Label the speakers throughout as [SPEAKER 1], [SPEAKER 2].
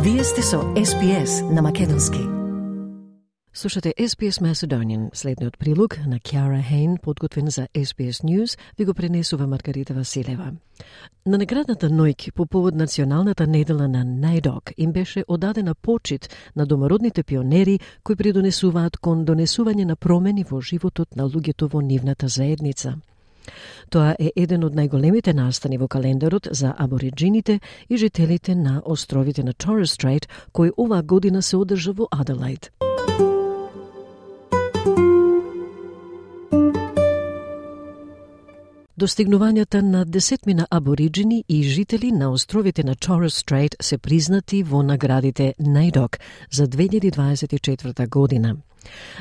[SPEAKER 1] Вие сте со SPS на македонски.
[SPEAKER 2] Слушате SPS Macedonian. Следниот прилог на Кјара Хейн, подготвен за SPS News, ви го пренесува Маргарита Василева. На наградната ноќ по повод националната недела на NAIDOC им беше одадена почит на домородните пионери кои придонесуваат кон донесување на промени во животот на луѓето во нивната заедница. Тоа е еден од најголемите настани во календарот за абориджините и жителите на островите на Torres Strait, кој оваа година се одржа во Аделаид. Достигнувањата на десетмина абориджини и жители на островите на Torres Strait се признати во наградите NAIDOC за 2024 година.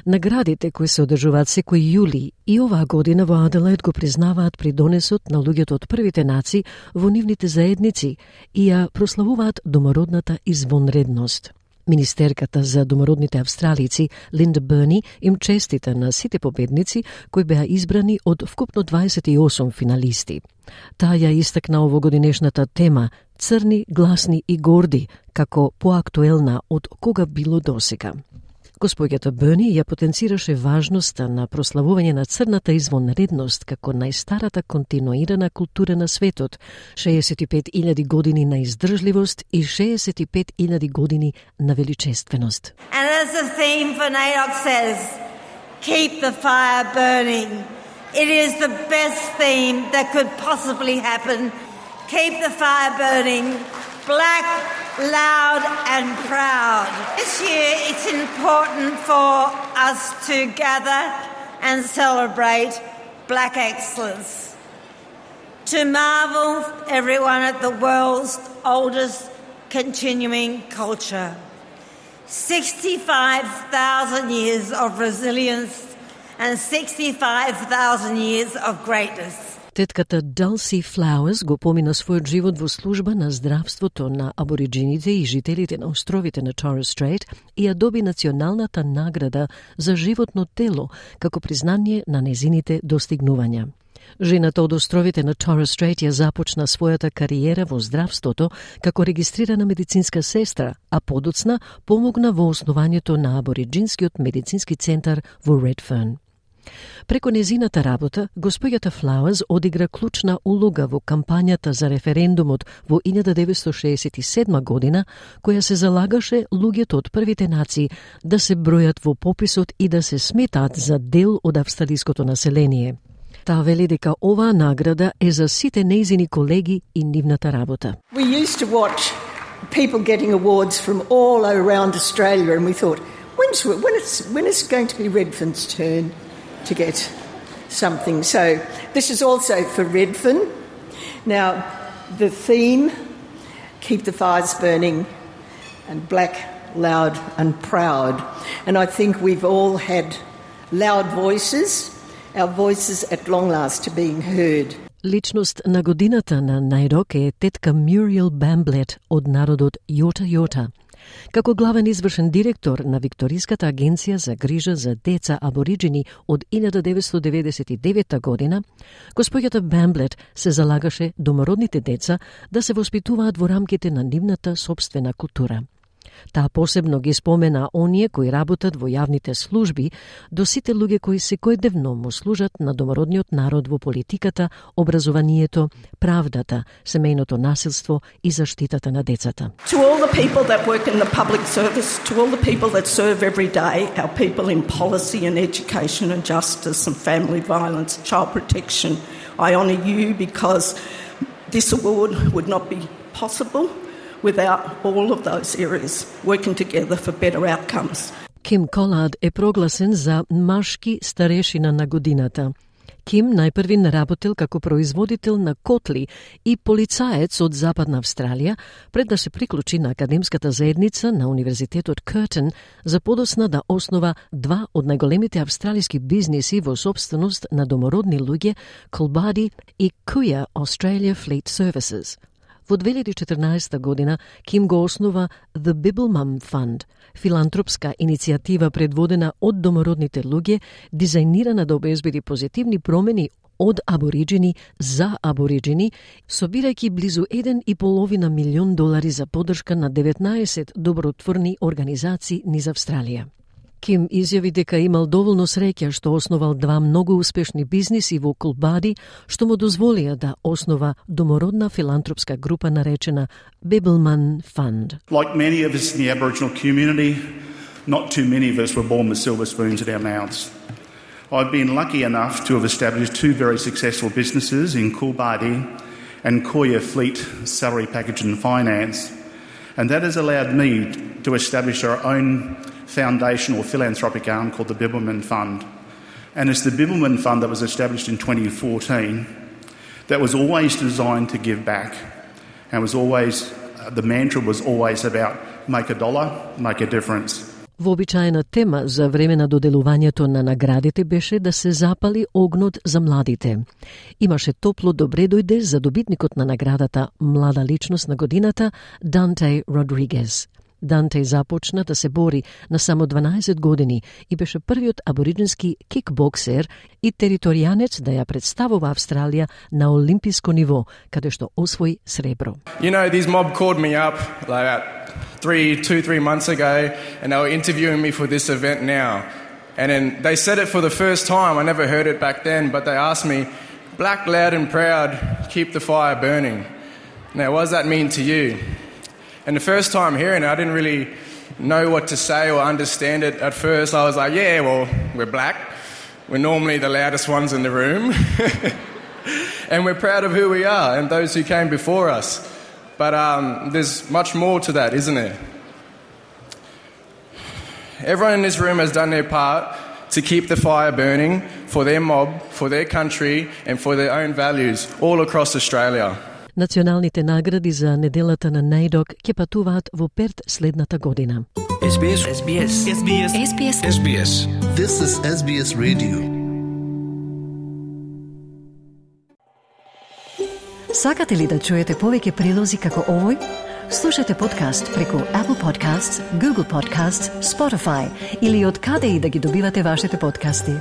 [SPEAKER 2] Наградите кои се одржуваат секој јули и оваа година во Аделаид го признаваат придонесот на луѓето од првите нации во нивните заедници и ја прославуваат домородната извонредност. Министерката за домородните австралици Линда Берни им честита на сите победници кои беа избрани од вкупно 28 финалисти. Таа ја истакна овогодинешната тема «Црни, гласни и горди» како поактуелна од кога било досега. Госпоѓата Берни ја потенцираше важноста на прославување на црната извонредност како најстарата континуирана култура на светот, 65.000 години на издржливост и 65.000 години на величественост.
[SPEAKER 3] And as the theme for NAIDOC says, keep the fire burning. It is the best theme that could possibly happen. Keep the fire burning. Black, loud and proud. This year it's important for us to gather and celebrate Black excellence. To marvel everyone at the world's oldest continuing culture. 65,000 years of resilience and 65,000 years of greatness.
[SPEAKER 2] Тетката Dulcie Flowers го помина својот живот во служба на здравството на абориджините и жителите на островите на Torres Strait и ја доби националната награда за животно тело како признание на незините достигнувања. Жената од островите на Torres Strait ја започна својата кариера во здравството како регистрирана медицинска сестра, а подоцна помогна во основањето на абориджинскиот медицински центар во Redfern. Преку незината работа, госпоѓата Flowers одигра клучна улога во кампањата за референдумот во 1967 година, која се залагаше луѓето од првите нации да се бројат во пописот и да се сметаат за дел од австралиското население. Таа вели дека оваа награда е за сите нејзини колеги и нивната работа.
[SPEAKER 4] We used to watch people getting awards from all around Australia and we thought, when is it going to be Redfern's turn to get something? So this is also for Redfern. Now the theme, keep the fires burning and black, loud and proud. And I think we've all had loud voices, our voices at long last are being heard.
[SPEAKER 2] Личност на годината на NAIDOC е тетка Muriel Bamblett од народот Јота Јота. Како главен извршен директор на Викториската агенција за грижа за деца абориджини од 1999 година, госпоѓата Бамблет се залагаше домородните деца да се воспитуваат во рамките на нивната собствена култура. Таа посебно ги спомена оние кои работат во јавните служби до сите луѓе кои секојдневно му служат на домородниот народ во политиката, образованието, правдата, семејното насилство и заштитата на децата.
[SPEAKER 5] To all the people that work in the public service, to all the people that serve every day, our people in policy and education and justice and family violence, child protection, I honour you because this award would not be possible without all of those areas working together for better outcomes.
[SPEAKER 2] Ким Колад е прогласен за машки старешина на годината. Ким најпрвин работел како производител на котли и полицаец од Западна Австралија, пред да се приклучи на академската заедница на Универзитетот Curtin, за подосна да основа два од најголемите австралиски бизниси во собственост на домородни луѓе, Колбади и Kuya Australia Fleet Services. Во 2014 година Ким го основа The Bibbulmun Fund, филантропска иницијатива предводена од домородните луѓе, дизајнирана да обезбеди позитивни промени од абориджини за абориджини, собирајќи близу $1,5 милион за поддршка на 19 добротворни организации низ Австралија. Ким изјави дека имал доволно среќа што основал 2 многу успешни бизниси во Кулбади, што му дозволија да основа домородна филантропска група наречена Bibbulmun Fund.
[SPEAKER 6] Like many of us in the Aboriginal community, not too many of us were born with silver spoons in our mouths. I've been lucky enough to have established 2 very successful businesses in Coolbadi and Koya Fleet Salary Package and Finance, and that has allowed me to establish our own foundation or philanthropic arm called the Bibbulmun Fund. And it's the Bibbulmun Fund that was established in 2014 that was always designed to give back, and was always, the mantra was always about make a dollar, make a difference.
[SPEAKER 2] Вообичаена тема за време на доделувањето на наградите беше да се запали огнот за младите. Имаше топло добре дојде за добитникот на наградата Млада личност на годината Данте Родригес. Данте започна да се бори на само 12 години и беше првиот абориджински кикбоксер и територијанец да ја представува Австралија на олимписко ниво, каде што освои сребро.
[SPEAKER 7] You know, this mob called me up like 3 months ago, and they were interviewing me for this event now. And then they said it for the first time. I never heard it back then, but they asked me, black, loud and proud, keep the fire burning. Now, what does that mean to you? And the first time hearing it, I didn't really know what to say or understand it at first. I was like, yeah, well, we're black. We're normally the loudest ones in the room. And we're proud of who we are and those who came before us. But there's much more to that, isn't there? Everyone in this room has done their part to keep the fire burning for their mob, for their country and for their own values all across Australia.
[SPEAKER 2] Националните награди за неделата на NAIDOC ќе патуваат во Перт следната година.
[SPEAKER 8] SBS. SBS. SBS. SBS. SBS. This is SBS Radio.
[SPEAKER 1] Сакате ли да чуете повеќе прилози како овој? Слушате подкаст преку Apple Podcasts, Google Podcasts, Spotify или од каде и да ги добивате вашите подкасти.